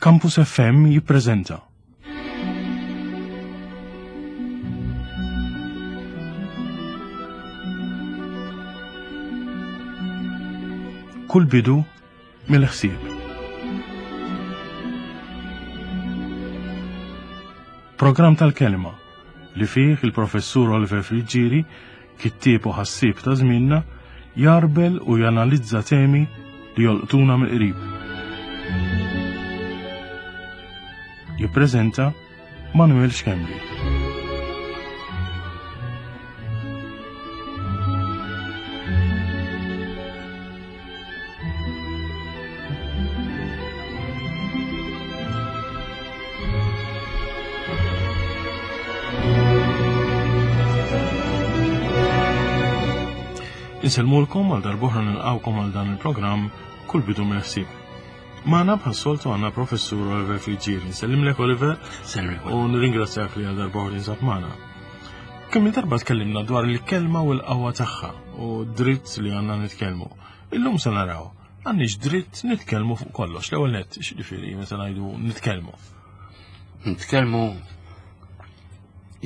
Campus FM jippreżenta. Kull bidu mill-ħsieb. Programm tal-kelma li fih il-professur Oliver Friggieri, kittieb u ħassieb ta' żmienna, jarbel u janalizza temi li jolqtuna mill-qrib. Jippreżenta Manuel Schembri. Insellmulkom għal darbohra nilqawkom għal dan il-programm kull bidu mill-ħsieb. Magħna bħas-soltu għandna professur Oliver Friggieri. Nsellimlek Oliver. Sellimlek. U nirringrazzjak li għal darbohra tinsab magħna. Kemm il-darba tkellimna dwar il-kelma u l-qawwa tagħha u dritt li għandna nitkellmu. Illum se naraw għandniex dritt nitkellmu fuq kollox. L-ewwel nett, x'ġifieri meta ngħidu nitkellmu? Nitkellmu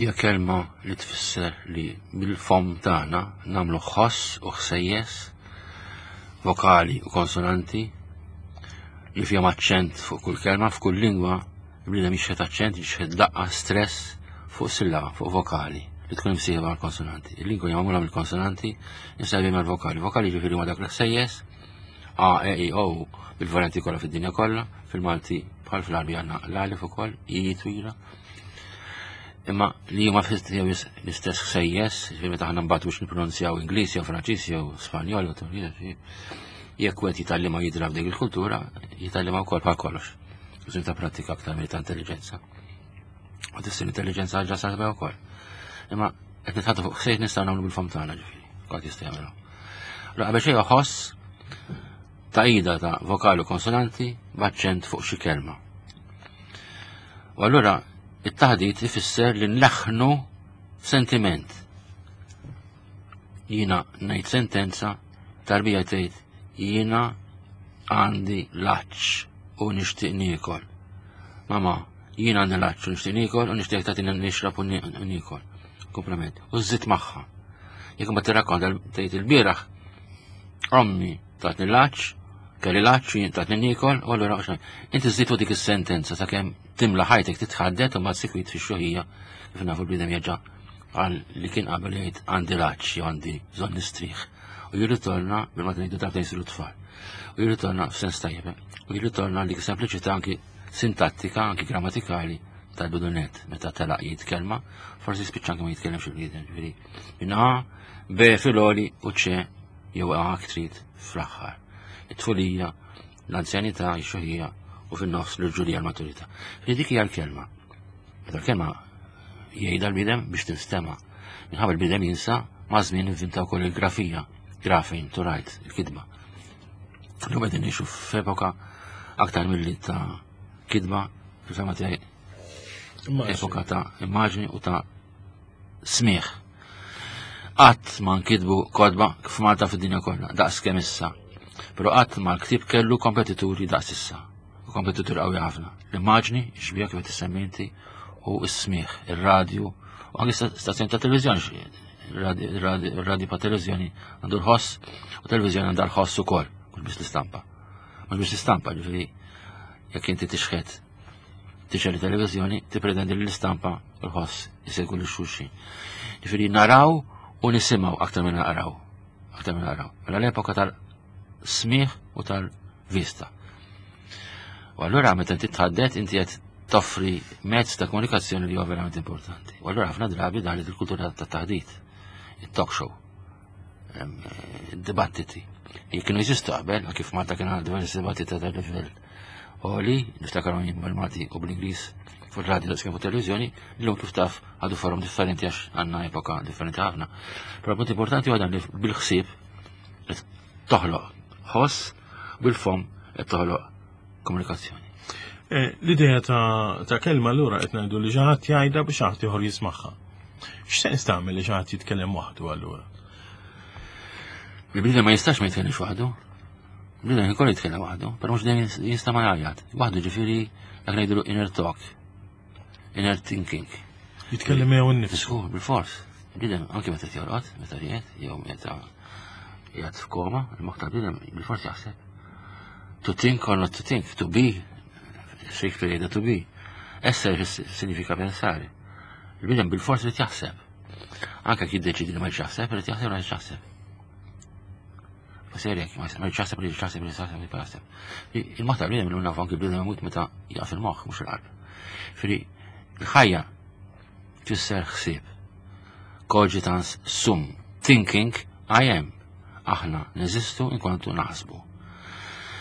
hija kelma li tfisser li bil-fom tagħna nagħmlu ħoss u ħsejjes vokali u konsonanti li fihom aċċent fuq kull kelma, f'kull lingwa il-bniedem jixħet aċċent, jixħet daqqa, stress fuq sillaba, fuq vokali li tkun imsieħba mal-konsonanti. Il-lingwa hija magħmula mill-konsonanti imsieħbin mal-vokali. Vokali ġifieri huma dak l-ħsejjes A, E, I, O bil-varianti kollha fid-dinja kollha, fil-Malti bħal fl-Arbi għandna l-alif ukoll, I twila. Imma li huma l-istess ħsejjes, ġifieri meta aħna mbagħad biex nippronunzjaw Ingliż jew Franċiż jew Spanjol jew jekk wieħed jitgħallimha jidra f'dik il-kultura, jitgħallimha wkoll bħal kollox. Bżonn ta' prattika aktar milli ta' intelligenza. U tista' l-intelligenza ġa sarba wkoll. Imma qed nitħattu fuq ħsejt nistgħu nagħmlu bil-fom tagħna ġifieri, kulħadd jista' jagħmilha. Allura qabel xejn ħoss taqida ta' vokali u konsonanti b'aċċent fuq xi kelma. U allura it-taħdit ifisser li nleħħnu sentiment. Jiena ngħid sentenza, tarbija tgħid jiena għandi l-għatx u nixtieq niekol. Mama, jiena għandi l-għatx u nixtieq niekol u nixtieq tagħtini nixrab u niekol. Komplement. U żżid magħha. Jekk ma tirrakkonta tgħid il-bieraħ, ommi tatni l-għatx, kelli l-għatx u jien tatni niekol, u allura inti żżid dik is-sentenza sakemm timla ħajtek titħaddet u ma sikwit fix-xoħija kif nafu l-bniedem jerġa' għal li kien qabel jgħid għandi l-għatx jew għandi bżonn nistrieħ. U jirritorna bil-ma ngħidu darbtejn jsiru tfal. U jirritorna f'sens tajjeb. Eh? U jirritorna dik sempliċità anki sintattika, anki grammatikali tal-bidunet meta telaq jgħid kelma, forsi spiċċa anki ma jitkellemx il-bniedem, ġifieri. Minn A, B fil-oli u C jew A trid fl-aħħar. It-tfulija, l-anzjanità, x-xuħija u fin-nofs l-irġulija l-maturità. Dik hija l-kelma. Meta l-kelma jgħidha l-bniedem biex tinstema'. Minħabba l-bniedem jinsa ma' żmien ivvinta wkoll il-grafija, grafin to write, il-kitba. Illum qegħdin ngħixu f'epoka aktar milli ta' kitba, fil-fema tiegħi epoka ta' immaġni u ta' smigħ. Qatt ma nkitbu kotba f'Malta fid-dinja kollha, daqs kemm issa. Però qatt ma l-ktieb kellu kompetituri daqs issa. U kompetitur qawwi ħafna. L-immaġni, xbija kif qed issemmi inti, u s-smigħ, ir-radju, u anke stazzjoni ta' televiżjoni, ir-radju pa' televiżjoni għandu l-ħoss, u televiżjoni għandha l-ħoss ukoll, mhux biss l-istampa. Mhux biss l-istampa, ġifieri jekk inti tixħet tixgħel televiżjoni, tippretendi li l-istampa u l-ħoss isegwu lil xulxin. Ġifieri naraw u nisimgħu aktar minn naqraw. Aktar minn naqraw. Mela l-epoka tal-smigħ u tal-vista. U allura meta inti tħaddet inti qed toffri mezz ta' komunikazzjoni li huwa verament importanti. U allura ħafna drabi daħlet il-kultura ta' taħdit, il-talk show, dibattiti. Li kienu jeżistu qabel, kif Malta kien għal diversi dibattiti ta' livell oli, niftakarhom jien bil-Malti u bl-Ingliż fuq radio daqskemm fuq televiżjoni, llum kif taf għadu forum differenti għax għandna epoka differenti ħafna. Però punt importanti huwa dan li bil-ħsieb qed toħloq ħoss bil-fom qed toħloq komunikazzjoni. Eh, l-idea ta' kelma allura qed ngħidu li xi ħadd jgħidha biex ħadd ieħor jismagħha. X'sens tagħmel li xi ħadd jitkellem waħdu allura? Il-bniedem ma jistax ma jitkellimx waħdu. Bniedem ikoll jitkellem waħdu, però mhux dejjem jista' ma jgħajjat. Waħdu ġifieri dak ngħidulu inner talk, inner thinking. Jitkellem miegħu nnifsu. Żgur, bil-fors. Bniedem anke meta jorqod, meta ried, jew meta jgħad f'koma, il-moħħ tal-bniedem bil-fors jaħseb. To think or not to think, to be, Shakespeare jgħidha to be. Essere signifika pensare. Il-bniedem bil-fors irid jaħseb. Anke jekk jiddeċidi li ma jaħseb, irid jaħseb ma jaħseb. Serjek, ma jaħseb li jaħseb li jaħseb li jaħseb. Il-moħħ tal-bniedem illum nafu anke bniedem imut meta jaqaf il-moħħ mhux il-qalb. Fri, il-ħajja tfisser ħsieb. Cogitans sum, thinking I am. Aħna neżistu inkontu naħsbu.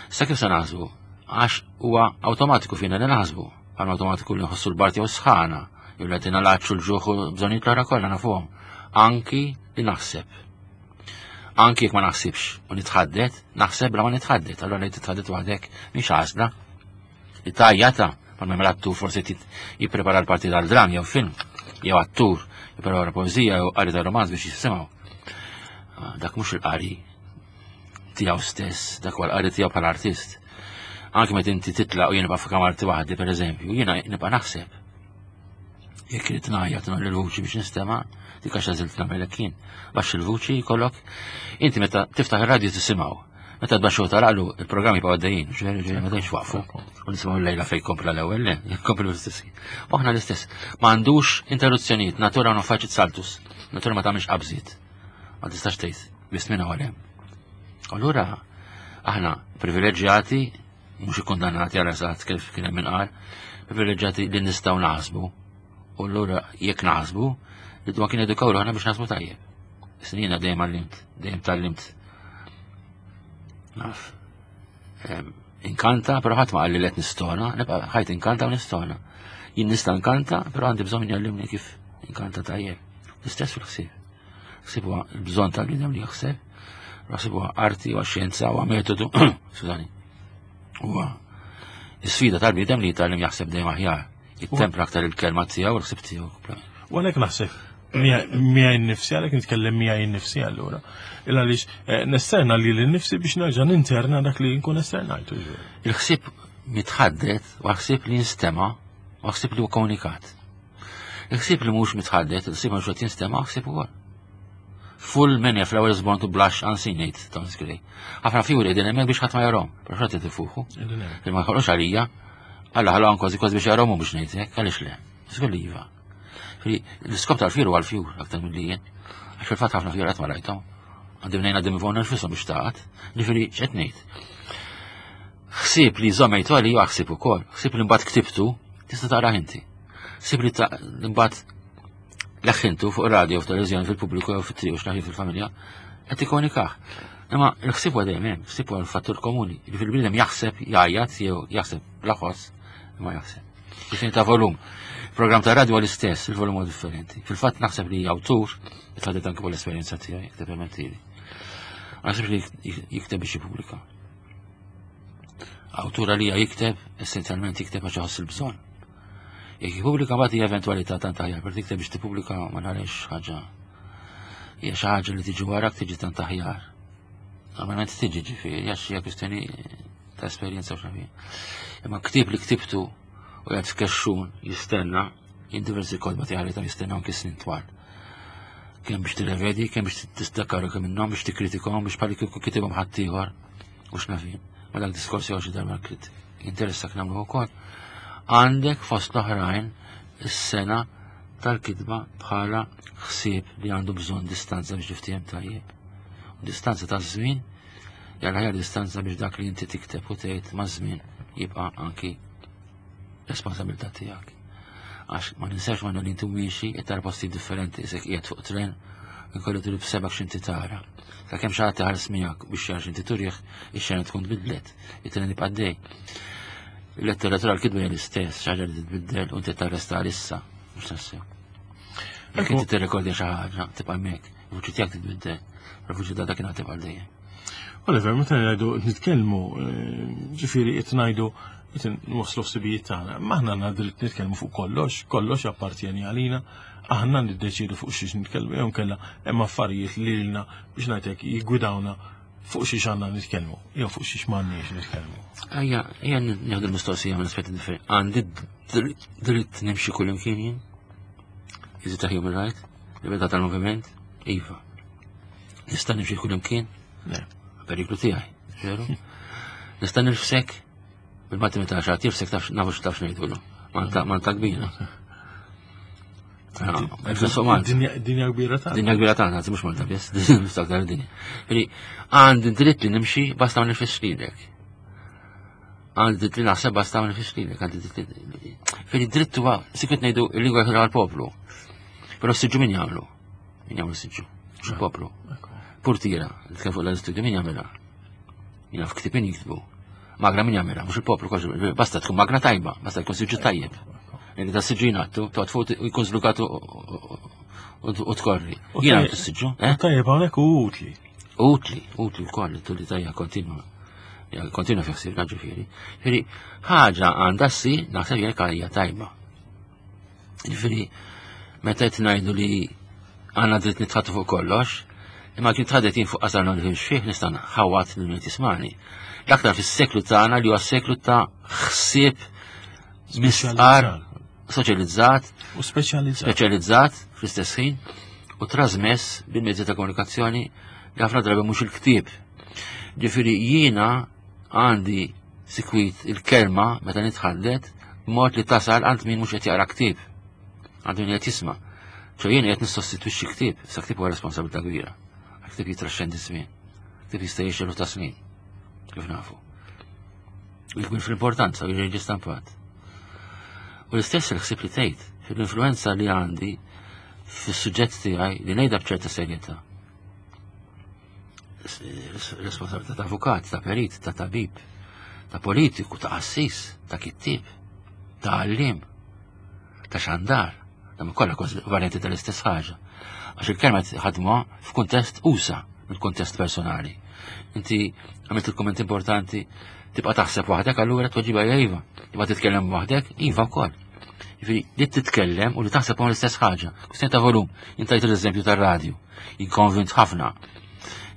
Sa kif se naħsbu? Għax huwa awtomatiku fina li naħsbu. Għal awtomatiku li nħossu l-bart jew sħana, jew li għatina l-għatx u l-ġuħ u bżonnijiet l-oħra kollha nafuhom. Anki li naħseb. Anki jekk ma naħsibx u nitħaddet, naħseb bla ma nitħaddet, allura li titħaddet waħdek mhix għażla. Li tajjata, ma mem attur forsi jipprepara l-parti tal-dram jew film, jew attur jipprepara poeżija jew qari ta' romanz biex jisimgħu. Ah, dak mhux il-qari tiegħu stess, dak huwa l-qari tiegħu bħala artist. Anki meta inti titlaq u jien nibqa' f'kamarti waħdi pereżempju, jiena nibqa' naħseb. Jekk irid ngħajjat nagħmel il-vuċi biex nistema', dik għax għażilt nagħmel hekk jien. Baxx il-vuċi jkollok, inti meta tiftaħ ir-radju tisimgħu. Meta tbaxxu taraqlu, il-programmi jibqgħu għaddejjin, ġifieri ġifieri ma tgħidx waqfu. U nisimgħu l-lejla fejn kompla l-ewwel, le, jkomplu l-istess. U aħna l-istess. Ma għandux interruzzjonijiet, natura non facit saltus. Natura ma tagħmilx qabżiet. Ma tistax tgħid, biss minn hawn hemm. Allura aħna privileġġjati mhux ikkundannati għal eżatt kif kien hemm inqal, privileġġjati li nistgħu naħsbu. U allura jekk naħsbu, li dwa kien edukaw ruħna biex naħsbu tajjeb. Snina dejjem għallimt, dejjem tallimt. Naf. Inkanta, però ħadd ma qalli li qed nistona, nibqa' ħajt inkanta u nistona. Jien nista' nkanta, però għandi bżonn jgħallimni kif inkanta tajjeb. L-istess fil-ħsieb. Ħsieb huwa l-bżonn tal-bniedem li jaħseb, ħsieb huwa arti, huwa xjenza, huwa metodu, skużani. Huwa sfida tal-bniedem li jitgħallem jaħseb dejjem aħjar, jittempra aktar il-kelma tiegħu u l-ħsieb tiegħu. U għalhekk naħseb miegħi nnifsi għalhekk nitkellem miegħi nnifsi allura. Il għaliex eh, nesterna li l-nifsi biex nerġa' ninterna dak li nkun esternajtu. Il-ħsieb mitħaddet u ħsieb li jinstema' u ħsieb li huwa komunikat. Il-ħsieb li mhux mitħaddet, il-ħsieb mhux qed jinstema' ħsieb ukoll. Full many flowers born to blush unseen ngħid Thomas Gray. Ħafna fjuri qegħdin hemmhekk biex ħadd ma jarhom, però xorta tifuħu. Li ma jħolqux għalija, Alla ħalaqhom kważi kważi biex jarahom biex ngħid hekk, għaliex le? Żgur li iva. L-iskop tal-fjur huwa l-fjur aktar milli jien. Għax fil-fatt ħafna fjur qatt ma rajthom. Għandim ngħid għaddim fuq nfisom biex taqgħod. Ġifieri x'qed ngħid. Ħsieb li żommejtu għalija ħsieb ukoll, ħsieb li mbagħad ktibtu, tista' taqrah inti. Sib li mbagħad leħħintu fuq radio, f'televizjoni, fil-pubbliku jew fit-triq u x'naħi fil-familja, qed ikkomunikah. Imma l-ħsieb huwa dejjem hemm, ħsieb huwa l-fattur komuni. Jiġifieri bniedem jaħseb, jgħajjat jew jaħseb bla ħoss, imma jaħseb. Kif ta' volum. Program ta' radio l-istess, il-volum huwa differenti. Fil-fatt naħseb li awtur, tħaddet anke l-esperjenza tiegħi, jekk tippermettili. Naħseb li jikteb biex jippubblika. Awtur għalija jikteb, essenzjalment jikteb għax iħoss il-bżonn. Jekk jippubblika mbagħad hija eventwalità tant aħjar, per tikteb biex tippubblika ma nagħlix ħaġa. Hija xi ħaġa li tiġi warak tiġi tant aħjar. Normalment tiġi ġifieri għax hija kwistjoni ta' esperjenza u xafi. Imma ktieb li ktibtu u jgħid f'kexxun jistenna, jien diversi kodba tiegħi ta' jistenna anki snin twal. Kemm biex tirrevedi, kemm biex tistakkaru kemm minnhom biex tikkritikahom biex bħal kieku kitibhom ħaddieħor u x'nafin. Ma dak diskorsi għal xi darba jinteressak nagħmlu wkoll. Għandek fost l-oħrajn is-sena tal-kitba bħala ħsieb li għandu bżonn distanza biex tiftiehem tajjeb. U distanza ta' żmien jalla ħjar distanza biex dak li inti tikteb u tgħid ma' żmien jibqa' anki responsabilità tiegħek. Għax ma ninsax ma li inti miexi qed tara postijiet differenti, isek qiegħed fuq tren, inkollu turi b'sebak x'inti tara. Sakemm xi ħadd iħares miegħek biex jara x'inti turih, ix-xena tkun tbidlet, it-tren jibqa' dej. Il-letteratura l-kitba hija l-istess, xi ħaġa li titbiddel u inti tarresta għalissa, mhux tassew. Jekk inti tirrekordja xi ħaġa, tibqa' hemmhekk, il-vuċi tiegħek titbiddel, il-vuċi ta' dakinhar tibqa' dejjem. Oliver, meta ngħidu nitkellmu, eh, ġifieri qed ngħidu qed nwasslu ħsibijiet tagħna, ma aħna għandna dritt nitkellmu fuq kollox, kollox appartjeni għalina, aħna niddeċiedu fuq xiex nitkellmu jew nkella hemm affarijiet li lilna biex ngħidlek jiggwidawna. Fuq xiex għandna nitkellmu, jew fuq xiex m'għandniex nitkellmu. Ejja, ejja nieħdu l-mistoqsija minn aspetti differenti. Għandi dritt nimxi kull imkien jien? Is it a human right? Libertà tal-moviment? Iva. Nista' nimxi kull imkien? Le. Periklu tiegħi, veru? Nista' nirfsek? Bil-Malti meta xi ħadd jirfsek taf nafu x'taf x'ngħidulu. Manta kbira. Dinja kbira tagħna. Dinja kbira tagħna, anzi mhux Malta biss, aktar dinja. Ġifieri għandi dritt li nimxi basta ma nifisx lilek. Għandi dritt li naħseb basta ma nifisx lilek, għandi dritt li. Ġifieri dritt huwa sikwit ngħidu l-lingwa jħilha għall-poplu. Però s-siġġu min jagħmlu? Min jagħmlu s-siġġu? Mhux il-poplu. Purtira, nitkellem fuq l-istudju min jagħmilha? Jien naf ktib min jiktbu. Magra min jagħmilha, mhux il-poplu, basta tkun magra tajba, basta tkun siġġu tajjeb. Li ta' siġġu jingħattu, toqgħod fuq u jkun żlukat u tkorri. Jien għandu siġġu. Eh? Tajjeb hawnhekk u utli. Utli, utli wkoll tulli tajja kontinwa. Kontinwa fi ħsiebna ġifieri. Ġifieri ħaġa għandha ssir naħseb jekk hija tajba. Ġifieri, meta qed ngħidu li għandna dritt nitħattu fuq kollox, imma kien tħaddet jien fuq qasar non nifhimx fih nista' nħawat lil min tismani. L-aktar fis-seklu tagħna li huwa seklu ta' ħsieb mistqar soċjalizzat u speċjalizzat speċjalizzat fl-istess ħin u trasmess bil-mezzi ta' komunikazzjoni li ħafna drabi mhux il-ktieb. Ġifieri jiena għandi sikwit il-kelma meta nitħaddet b'mod li tasal għand min mhux qed jaqra ktieb, għand min qed jisma'. ċo jien qed nissostitwixxi ktieb, sa ktieb huwa responsabilità kbira. Ktieb jitraxxendi żmien. Ktieb jista' jgħix ta' snin, kif nafu. U jkun fl-importanza u jiġi stampat. U l-istess il-ħsieb li tgħid, fil-influenza li għandi fis-suġġett tiegħi li ngħidha b'ċerta serjetà responsabilità ta' avukat, ta' perit, ta' tabib, ta' politiku, ta' qassis, ta' kittib, ta' għallim, ta' xandar, ta' kollha varianti tal-istess ħaġa. Għax il-kelma ħadmuha f'kuntest usa mill-kuntest personali. Inti għamilt il-komment importanti tibqa' taħseb waħdek allura tweġiba hija iva. Tibqa' titkellem waħdek, iva wkoll. Jiġifieri li titkellem u li taħseb huma l-istess ħaġa. Kwistjoni ta' volum. Intajt l-eżempju tar-radju. Jikkonvint ħafna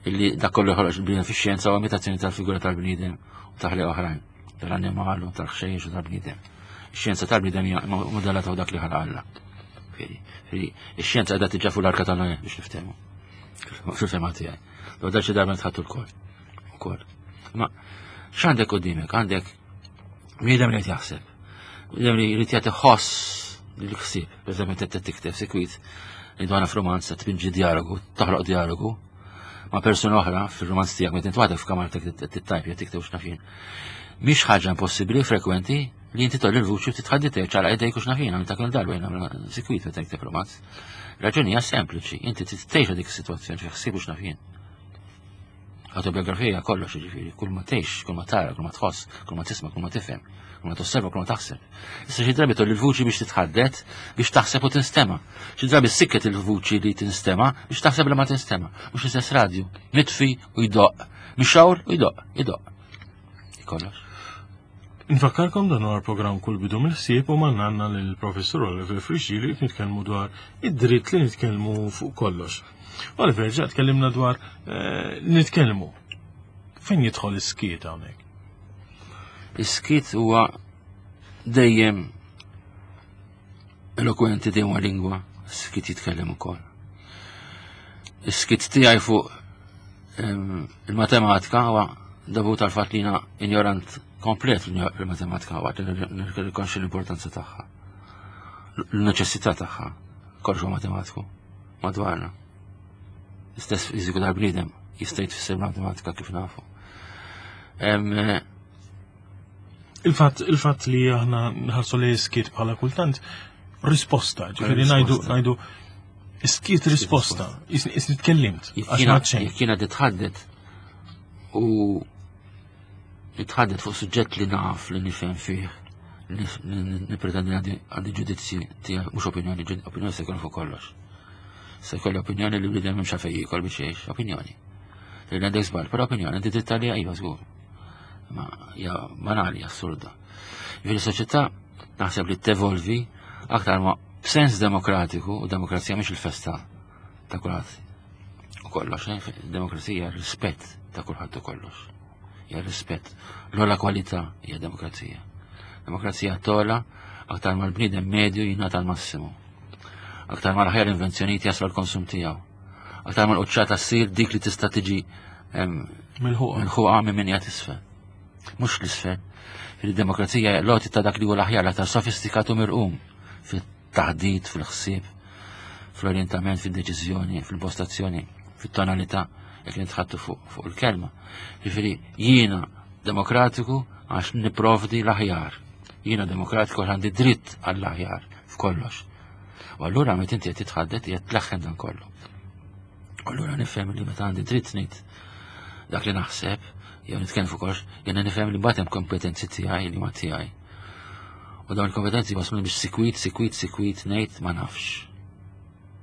illi dak kollu ħroġ il-bniedem fix-xjenza u imitazzjoni tal-figura tal-bniedem u taħli oħrajn, tal-annimal u tal-ħxejjex u tal-bniedem. Ix-xjenza tal-bniedem hija modellata fuq dak li ħalaq Alla. Ix-xjenza qiegħda tiġa fuq l-arka ta' Noè biex niftehmu. Fil-fema tiegħi. Dwar xi darba nitħattu l-kol. Ukoll. Ma x'għandek qudiemek? Għandek bniedem li qed jaħseb. Bniedem li jrid jagħti ħoss lill-ħsieb. Pereżempju inti qed tikteb sikwit li dwana f'romanz qed tpinġi dialogu, toħloq dialogu ma' persuna oħra fir-romanz tiegħek meta inti waħdek f'kamartek tittajp jew tikteb x'naf jien. Mhix ħaġa impossibbli frekwenti li inti tolli l-vuċi u titħaddit ċara idejk u x'naf jien għamilta kull darba jien nagħmel sikwit meta tikteb romanz. Raġuni hija sempliċi, inti tgħix dik is-sitwazzjoni fi ħsieb u x'naf jien. Autobiografija kollox jiġifieri, kull ma tgħix, kull ma tara, kull ma tħoss, kull ma tisma', kull ma tifhem, kull ma tosserva, kull ma taħseb. Issa xi drabi tolli l-vuċi biex titħaddet, biex taħseb u tinstema. Xi drabi sikket il-vuċi li tinstema biex taħseb li ma tinstema. Mhux l-istess radju, mitfi u jdoqq, mixawr u jdoqq, jdoqq. Kollox. Nfakkarkom dan huwa l-programm Kull Bidu mill-Ħsieb u manna għandna lill-Professur Oliver Friggieri qed nitkellmu dwar id-dritt li nitkellmu fuq kollox. Oliver, ġa tkellimna dwar eh, nitkellmu. Fejn jidħol is-skiet hawnhekk? Is-skiet huwa dejjem elokwenti dejjem huwa lingwa, is-skiet jitkellem ukoll. Is-skiet tiegħi fuq ehm, il-matematika huwa dovut għal fatt li jiena ignorant komplet fil-matematika waqt li nirrikonxi l-importanza tagħha. L-neċessità tagħha, kollox huwa matematiku madwarna. L-istess fiżiku tal-bniedem jista' jitfisser matematika kif nafu. Eh, il-fatt il-fatt li aħna nħarsu li skiet bħala kultant risposta, ġifieri ngħidu ngħidu skiet risposta, isni tkellimt. Jekk jiena titħaddet u nitħaddet fuq suġġett li naf li nifhem fih, li nipretendi għandi ġudizzji tiegħi mhux opinjoni, opinjoni se jkun fuq kollox. Se jkolli opinjoni li bniedem m'hemmx għalfejn jiekol biex jgħix, opinjoni. Li għandek żball, però opinjoni għandi dritt għaliha iva żgur. Ma hija banali, assurda. Jiġifieri soċjetà naħseb li tevolvi aktar ma b'sens demokratiku u demokrazija mhix il-festa ta' kulħadd. kollox, eh? Demokrazija rispett ta' kulħadd u kollox. Hija rispett. L-ogħla kwalità hija demokrazija. Demokrazija tola aktar ma l-bniedem medju jingħata l-massimu. Aktar ma l-aħjar invenzjonijiet jaslu l-konsum tiegħu. Aktar ma l-quċċata ssir dik li tista' tiġi milħuqa minn min qiegħed isfel. Mhux l-isfel. Fil-demokrazija l-għoti ta' dak li huwa l-aħjar l-aktar sofistikat u mirqum fit-taħdit, fil-ħsieb, fl-orientament, fil-deċiżjoni, fil-postazzjoni, fit-tonalità, jekk nitħattu fuq il-kelma. Ġifieri jiena demokratiku għax niprovdi l-aħjar. Jiena demokratiku għax għandi dritt għall-aħjar f'kollox. U allura meta inti qed titħaddet qed tleħħen dan kollu. U allura nifhem li meta għandi dritt ngħid dak li naħseb, jew nitkellem fuq kollox, jiena nifhem li mbagħad hemm kompetenzi tiegħi li ma tiegħi. U dawn il-kompetenzi wasluni biex sikwit, sikwit, sikwit ngħid ma nafx.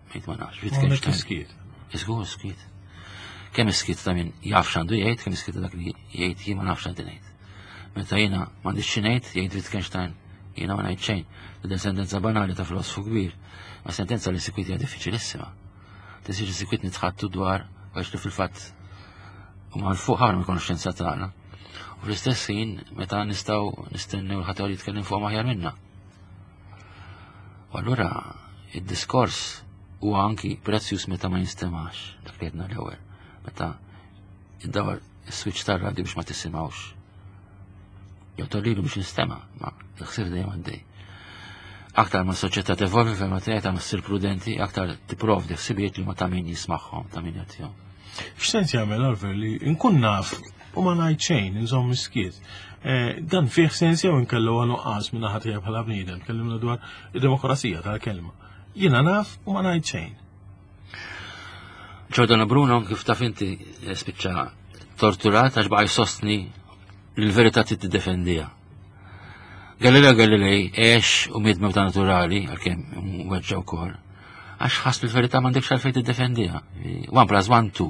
Ngħid ma nafx. Wittgenstein. Iżgur skiet. Kemm iskiet ta' min jaf x'għandu jgħid, kemm iskiet ta' dak li jgħid jien ma nafx x'għandi ngħid. Meta jiena m'għandix xi ngħid, jgħid Wittgenstein, jiena ma ngħid xejn. Din sentenza banali ta' filosfu kbir, ma sentenza li sikwit hija diffiċilissima. Tisir sikwit nitħattu dwar għax li fil-fatt huma l fuq ħafna mill-konoxxenza tagħna. U fl-istess ħin meta nistgħu nistennew l-ħadd jitkellem fuq aħjar minna. U allura id-diskors huwa anki prezzjuż meta ma jinstemax, dak li għedna l-ewwel. Meta id-dawar is-switch tar-radju biex ma tisimgħux. Jew tollilu biex jinstema', ma l-ħsieb dejjem għaddej. Aktar ma s-soċjetà tevolvi fejn ma tgħid ma ssir prudenti, aktar tipprovdi ħsibijiet li ma ta' min jismagħhom, ta' min jagħtihom. X'sens jagħmel Oliver li nkun naf u ma ngħid xejn, inżomm iskiet. Eh, dan fih sens jew inkellu huwa nuqqas minn naħa tiegħi bħala bniedem, tkellimna dwar id-demokrazija tal-kelma. Jiena naf u ma ngħid xejn. Giordano Bruno kif taf inti eh, spiċċa torturat għax baqa' jsostni li l-verità trid tiddefendiha. Galileo Galilei għex u miet mewta naturali, għalkemm weġġa wkoll, għax ħass li l-verità m'għandekx għalfejn tiddefendiha. 1 plus 1 2.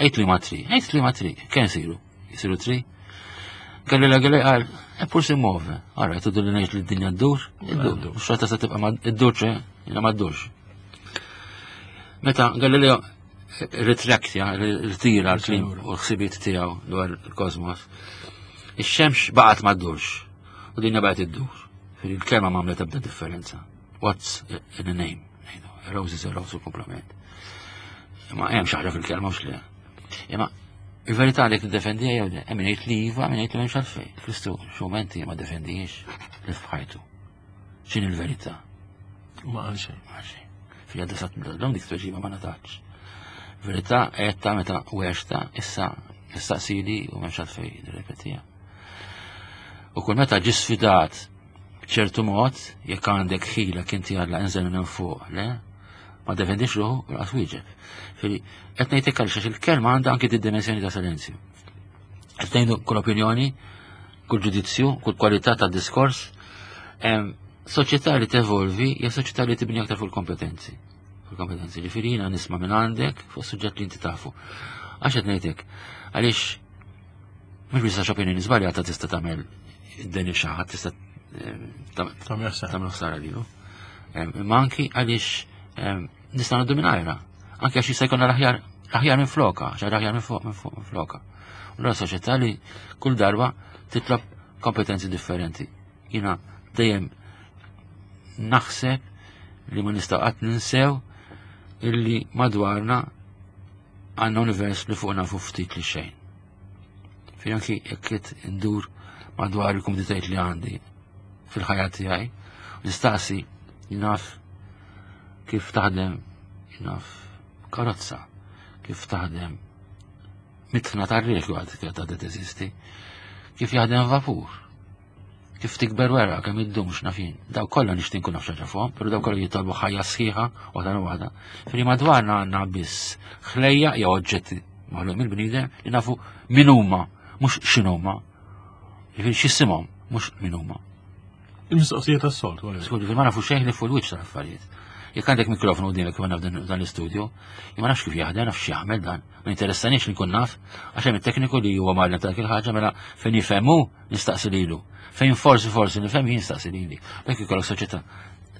Għid li ma 3, għid li ma 3, kemm isiru? Isiru 3? Galileo Galilei qal, eppur si muove. Ara, tudu li ngħid li d-dinja ddur, iddur. Mhux xorta se tibqa' iddur ċe, jiena ma ddurx. Meta Galileo ritraktja, ritira l-klim u l-ħsibiet tiegħu dwar il-kosmos, ix-xemx baqgħet ma ddurx u dinja baqgħet iddur. Il-kelma ma għamlet ebda differenza. What's in a name? A rose is a rose u komplement. Imma hemm xi ħaġa fil-kelma mhux le. Imma il-verità li tiddefendija jew le, hemm jgħid li iva, hemm jgħid li m'hemmx għalfejn. Kristu xumenti ma defendijiex li f'ħajtu. X'inhi l-verità? Ma qal xejn. Ma qal xejn. Fija desat l dik tweġiba ma natax. Verità għedta meta weġta issa nistaqsili u m'hemmx għalfejn nirrepetija. U kull meta ġi sfidat b'ċertu mod, jekk għandek ħila inti Alla inżel minn fuq, le? Ma defendix ruħu u laqas wieġeb. Fili, qed ngħidlek għaliex il-kelma għandha anki d-dimensjoni ta' silenzju. Qed ngħidu kull opinjoni, kull ġudizzju, kull kwalità ta' diskors, soċjetà li tevolvi hija soċjetà li tibni aktar fuq il-kompetenzi. Fuq il-kompetenzi, ġifieri jiena nisma' minn għandek fuq suġġett li inti tafu. Għax qed ngħidlek, għaliex mhux biss għax opinjoni żbaljata tista' tagħmel id-deni xi ħadd tista' tagħmel ħsara lilu. Imma anki għaliex nista' ngħaddu mingħajrha. Anki għax jista' jkollna l-aħjar l-aħjar minn floka, xi aħjar minn fuq minn fuq minn floka. U l soċjetà li kull darba titlob kompetenzi differenti. Jiena dejjem naħseb li ma nistgħu qatt ninsew illi madwarna għandna univers li fuq nafu ftit li xejn. Fejn anki jekk qed indur madwar il-kumditajiet li għandi fil-ħajja tiegħi, nistaqsi naf kif taħdem naf karozza, kif taħdem mitħna tar-riħ li għad għadha teżisti, kif jaħdem vapur, kif tikber wera kemm iddum x'nafin. Daw kollha nixtieq nkun naf xi fuqhom, però daw kollha jitolbu ħajja sħiħa waħda waħda. Fri madwarna għandna biss ħlejja jew oġġetti maħluq mill-bniedem li nafu min huma, mhux x'inhuma. Jiġifieri x'isimhom, mhux min huma. Il-mistoqsija tas-soltu. Skur, ma nafu xejn li fuq il-wiċċ tal-affarijiet. Jekk għandek mikrofonu quddiemek kif għandna f'dan l-istudju, ma nafx kif jaħdem, nafx x'jagħmel dan. Ma jinteressanix li nkun naf, għax hemm it-tekniku li huwa mgħallem ta' il ħaġa mela fejn jifhemu nistaqsi lilu. Fejn forsi forsi nifhem jien nistaqsi lili. Bekk ikollok soċjetà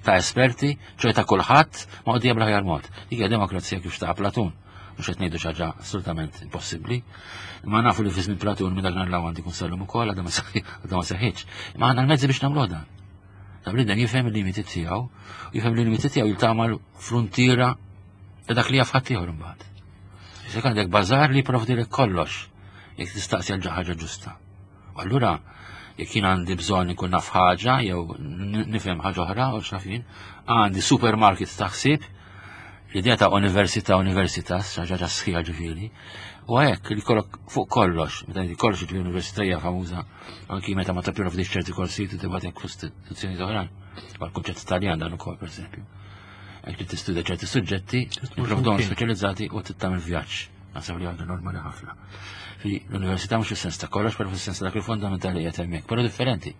ta' esperti, ċoj ta' kulħadd ma' qudiem bl-aħjar mod. Dik hija demokrazija kif xtaq Platun. Mhux qed ngħidu xi ħaġa assolutament impossibbli. Imma nafu li fi żmien Platun minn dak l għandi jkun sallum ukoll għadha ma seħħitx. Imma għandna l-mezzi biex nagħmluh dan. Ta' bniedem jifhem il-limiti tiegħu, jifhem il-limiti tiegħu jiltaqa' mal-fruntiera ta' dak li jaf ħaddieħor imbagħad. Issa għandek bażar li jipprovdilek kollox jekk tistaqsi għal ħaġa ġusta. U allura jekk jien għandi bżonn inkun naf ħaġa jew nifhem ħaġa oħra u x'naf jien, għandi supermarket ta' ħsieb l-idea ta' università, universitas, ħaġa sħiħa ġifieri, u hekk li kollok fuq kollox, meta kollox ġifieri università hija famuża anki meta ma tipprovdix ċerti korsijiet u tibgħatek f'istituzzjoni oħrajn. Għal kunċett Taljan dan ukoll pereżempju. Hekk li tistudja ċerti suġġetti, jipprovdhom speċjalizzati u tittamel vjaġġ. Naħseb li għandu normali ħafna. Fi l-università mhux fis-sens ta' kollox, però fis-sens ta' dak il-fondamentali qed hemmhekk, però differenti.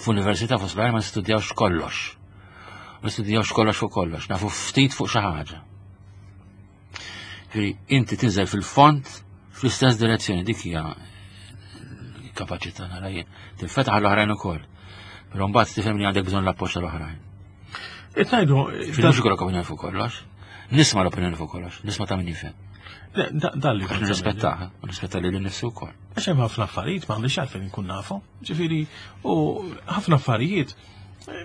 F'università fost l ma nistudjawx kollox. Ma nistudjawx kollox fuq kollox, nafu ftit fuq xi ħaġa. Ġifieri inti tinżel fil-fond fl-istess direzzjoni dik hija kapaċità nara jien. Tinfetaħ l-oħrajn ukoll. Però mbagħad tifhem li għandek bżonn l-appoġġ tal-oħrajn. Qed ngħidu mhux ikollok opinjoni fuq kollox. Nisma' l-opinjoni fuq kollox, nisma' ta' min jifhem. Dalli kont nirrispettaha, u nirrispetta lili nnifsi wkoll. Għax hemm ħafna affarijiet m'għandix għalfejn inkun nafu. Ġifieri, u ħafna affarijiet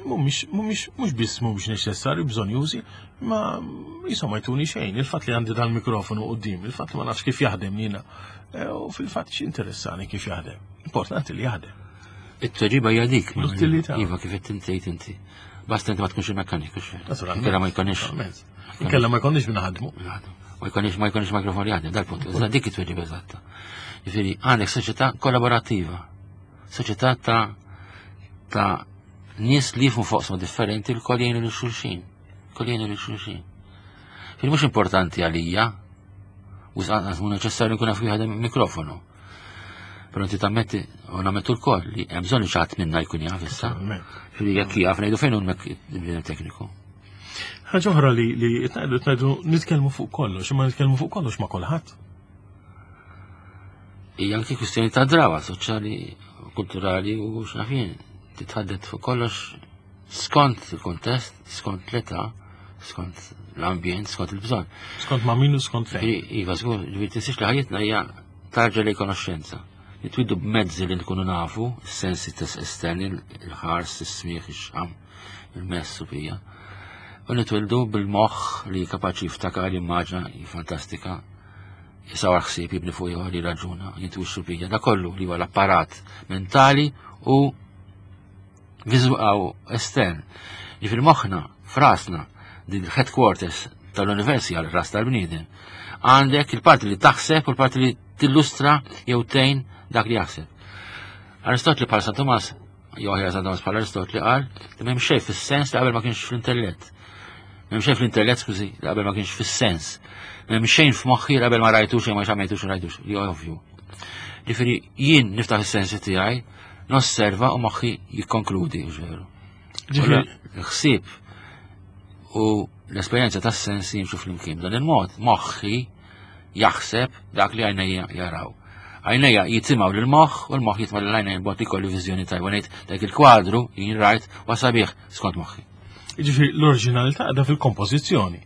mhumiex mhumiex mhux biss mhumiex neċessarju bżonjużi, ma jisom ma jtuni xejn. Il-fatt li għandi dal-mikrofonu quddiem, il-fatt li ma nafx kif jaħdem jiena, eh, u fil-fatt x'interessani kif jaħdem. Importanti li jaħdem. It-tweġiba hija dik. L-utilità. Iva kif qed tgħid inti. Basta inti ma tkunx il-mekkaniku xejn. Inkella ma jkunx. Inkella ma jkunx binaħdmu. Ma jkunx ma jkunx mikrofon jaħdem dal-punt. Iżda dik it-tweġiba eżatta. Jiġifieri għandek soċjetà kollaborattiva. Soċjetà ta' ta' nies li jifhmu foqsma differenti l-kol jgħinu lil xulxin. Kol jgħinu lil xulxin. Fil mhux importanti għalija, u anqas mhu neċessarju nkun naf jaħdem mikrofonu. Però inti tammetti u nammettu l-koll li hemm bżonn li xi ħadd minna jkun jaf issa. Li jekk jaf ngħidu fejn hu l tekniku. Ħaġa oħra li li tnajdu nitkellmu fuq kollox, imma nitkellmu fuq kollox ma' kulħadd. Hija anki kwistjoni ta' drawa soċjali, kulturali u x'nafin. Titħaddet fuq kollox skont il-kontest, skont l-età, skont l-ambjent, skont il-bżonn. Skont ma' min u skont fejn. Iva, żgur, ġifieri tinsiex li ħajjitna hija tarġa lejn konoxxenza. Nitwiddu b'mezzi li nkunu nafu, s-sensi esterni, il-ħars, is-smieħ, ix-xam, il-mess u bija. U nitwildu bil-moħħ li kapaċi jiftakar, jimmaġna, jifantastika, jisawar ħsieb, jibni fuq ieħor, jirraġuna, jintwixxu bija. Da kollu li huwa l-apparat mentali u viżuaw estern. Ġifieri moħħna, frasna, din headquarters tal-universi għal ras tal-bniedem. Għandek il-parti li taħseb u l-parti li tillustra jew tgħin dak li jaħseb. Aristotli bħal San Tomas, jew aħjar San Tomas bħal Aristotli qal li m'hemm xejn fis-sens li qabel ma kienx fl-intellett. M'hemm xejn fl-intellett, skużi, li qabel ma kienx fis-sens. M'hemm xejn f'moħħi li qabel ma rajtux jew ma xamejtux u rajtux, li ovvju. Ġifieri jien niftaħ is-sensi tiegħi, nosserva u moħħi jikkonkludi, veru. Ġifieri ħsieb u l-esperjenza tas-sensi jimxu flimkien. Dan il-mod moħħi jaħseb dak li għajnejja jaraw. Għajnejja jitimgħu lil moħħ u l-moħħ jitma' lil għajnejja b'mod li jkollu viżjoni tajba ngħid dak il-kwadru jien rajt wa sabiħ skont moħħi. Ġifieri l-oriġinalità qiegħda fil-kompożizzjoni.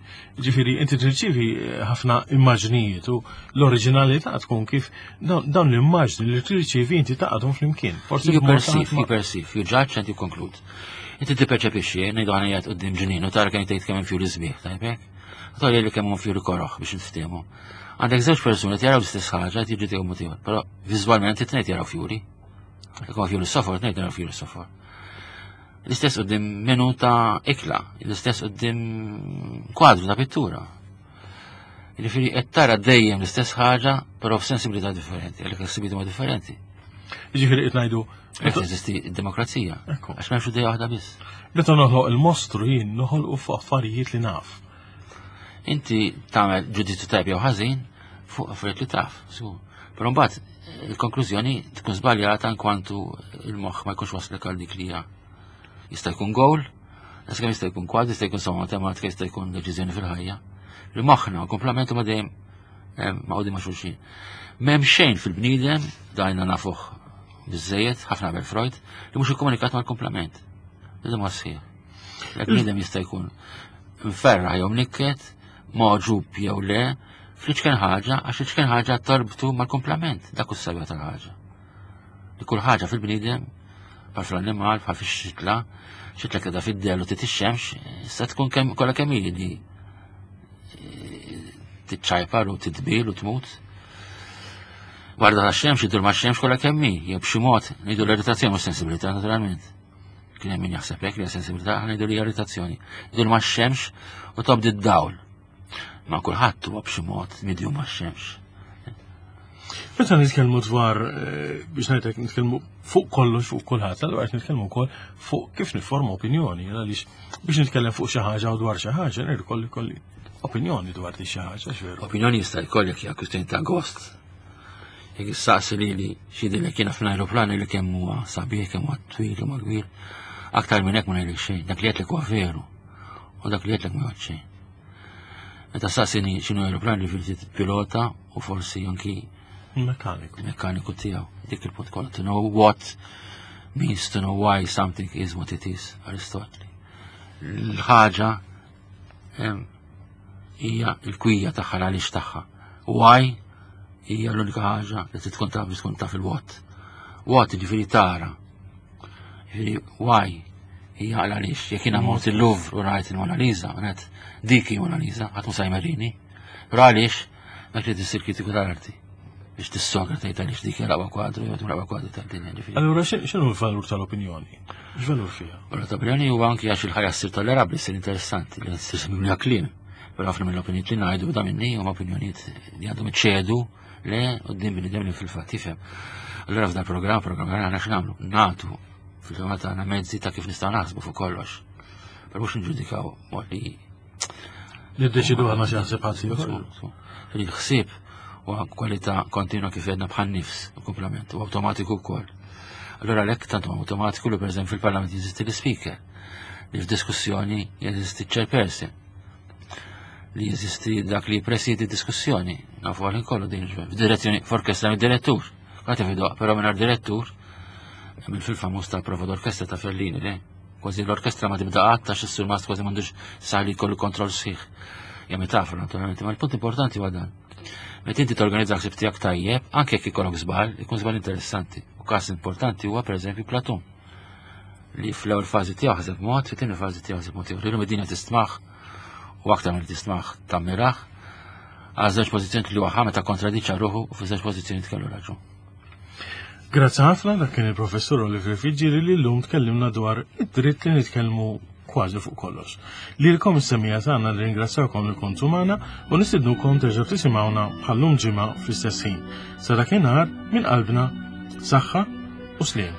Ġifieri inti tirċievi eh, ħafna immaġnijiet u l-oriġinalità tkun kif dawn l-immaġni li tirċievi inti taqgħodhom flimkien. Forsi you perceive, you perceive, you judge and you conclude. Inti tipperċepixxi, eh, ngħidu ħana jgħid qudiem ġnien u tara kemm tgħid kemm hemm fjuri sbieħ, tajbek? Tgħid li kemm hemm fjuri koroħ biex niftehmu. Għandek żewġ persuni jaraw l-istess ħaġa qed jiġu tiegħu mod però viżwalment it-tnejn jaraw fjuri. Jekk fjuri sofor, tnejn jaraw fjuri sofor. L-istess qudiem menu ta' ikla, l-istess qudiem kwadru ta' pittura. Jiġifieri qed tara dejjem l-istess ħaġa, però f'sensibilità differenti, għalhekk il-ħsibiet huma differenti. Jiġifieri qed ngħidu Qed teżisti d-demokrazija. Għax m'hemmx idea waħda biss. Meta noħloq il-mostru jien noħolqu fuq affarijiet li naf. Inti tagħmel ġudizzju tajb jew ħażin fuq affarijiet li taf, żgur. Però mbagħad il-konklużjoni tkun żbaljata inkwantu il-moħħ ma jkunx waslek għal dik li hija. Jista' jkun goal, jista' jista' jkun kwadri, jista' jkun somma matematika, jista' jkun deċiżjoni fil-ħajja. Li moħħna komplement ma dejjem eh, ma' ma' xulxin. M'hemm xejn fil-bniedem, dajna nafuh biżejjed, ħafna qabel Freud, li mhux ikkomunikat mal-komplement. Li ma sħiħ. L-bniedem jista' jkun mferraħ jew mnikket, magħġub jew le, Fl-iċken ħaġa, għax l-iċken ħaġa torbtu mal-kumplament, dak hu s-sabiħ tal-ħaġa. Li kull ħaġa fil-bniedem, bħal fl-annimal, bħal fix-xitla, xitla keda fid-del u tit ix-xemx, issa tkun kemm kollha kemm hi li eh, tiċċajpar u titbil u tmut. Warda ta' xemx, idur ma' xemx kollha kemm hi, jew b'xi mod ngħidu l-irritazzjoni u sensibilità naturalment. Kien hemm min jaħseb hekk li sensibilità aħna ngħidu li irritazzjoni. Idur ma' xemx u tobdi d-dawl. Ma kulħadd huwa b'xi mod midju ma' xemx. Meta nitkellmu dwar eh, biex ngħidlek nitkellmu fuq kollox fuq kulħadd, allura qed nitkellmu wkoll fuq kif nifforma opinjoni, għaliex biex nitkellem fuq xi ħaġa u dwar xi ħaġa, irid kolli kolli opinjoni dwar di xi ħaġa, x'veru. Opinjoni jista' jkollek hija kwistjoni ta' gost. Jekk issaqsi lili x'jidhirlek jiena fl-ajruplan li kemm huwa sabiħ, kemm huwa twil, kemm huwa kbir. Aktar minn hekk ma ngħidlek xejn, dak li għedtlek huwa veru. U dak li għedtlek ma jgħod xejn. Meta saqsini x'inhu aeroplan li fil pilota u forsi anki mekkaniku. Mekkaniku tiegħu. Dik il-punt kollha to know what means to know why something is what it is, Aristotli. L-ħaġa hija l-kwija tagħha l-għaliex tagħha. Why hija l-unika ħaġa li tkun taf biex tkun taf il-what. What ġifieri tara. Ġifieri why hija għaliex jekk jiena mort il-Louvre u rajt il-Mona Lisa, għanet dik hi Mona Lisa, ħadd mhux jmerini. Però għaliex dak li tissir kritiku tal-arti biex tissogra tgħid għaliex dik hija l-aqwa kwadru jew l-aqwa kwadru tad-dinja ġifieri. Allura x'inhu l-valur tal-opinjoni? X'valur fiha? Valur tal-opinjoni huwa anki għax il-ħajja ssir tollerabbli, ssir interessanti, li ssir mimlija kliem. Però ħafna mill-opinjonijiet li ngħidu da minni huma opinjonijiet li għandhom iċedu le qudiem bniedem li fil-fatt jifhem. Allura f'dan programm, programm aħna x'nagħmlu? Nagħtu fil-ġimgħa tagħna mezzi ta' kif nistgħu naħsbu fuq kollox. Però mhux nġudikaw mod li Niddeċidu għandna xi ħsieb ħadd ieħor. Il-ħsieb huwa kwalità kontinwa kif għedna bħal nifs u komplement u awtomatiku wkoll. Allura lek tant huwa awtomatiku li pereżempju fil-Parlament jeżisti l-speaker, li f'diskussjoni jeżisti chairperson, li jeżisti dak li jippresidi diskussjoni, nafu għalin kollu din f'direzzjoni f'orkestra mid-direttur. Għati fidoq, però minn direttur, minn fil-famuż tal-prova d'orkestra ta' Fellini, le? Kważi l-orkestra ma tibda qatt għax is-surmast kważi m'għandux sa li jkollu kontroll sħiħ. Ja metafora naturalment, ma l-punt importanti huwa dan. Meta inti torganizza ħsieb tiegħek tajjeb, anke jekk ikollok żball, ikun żball interessanti. U każ importanti huwa pereżempju Platun li fl-ewwel fażi tiegħu ħaseb mod, fit-tieni fażi tiegħu ħaseb mod ieħor. Illum id-dinja tistmaħ u aktar mill tistmaħ tammiraħ għal żewġ pożizzjoni li huwa meta kontradiċa ruħu u fi żewġ pożizzjoni kellu raġun. Grazzi ħafna dak kien il-professur Oliver Fiġġieri li llum tkellimna dwar id-dritt li nitkellmu kważi fuq kollox. Lilkom is-semija tagħna nirringrazzjawkom li kontu magħna u nistidnukom terġgħu tisimgħuna bħallum ġimgħa fl-istess ħin. Sa dakinhar minn qalbna saħħa u sliem.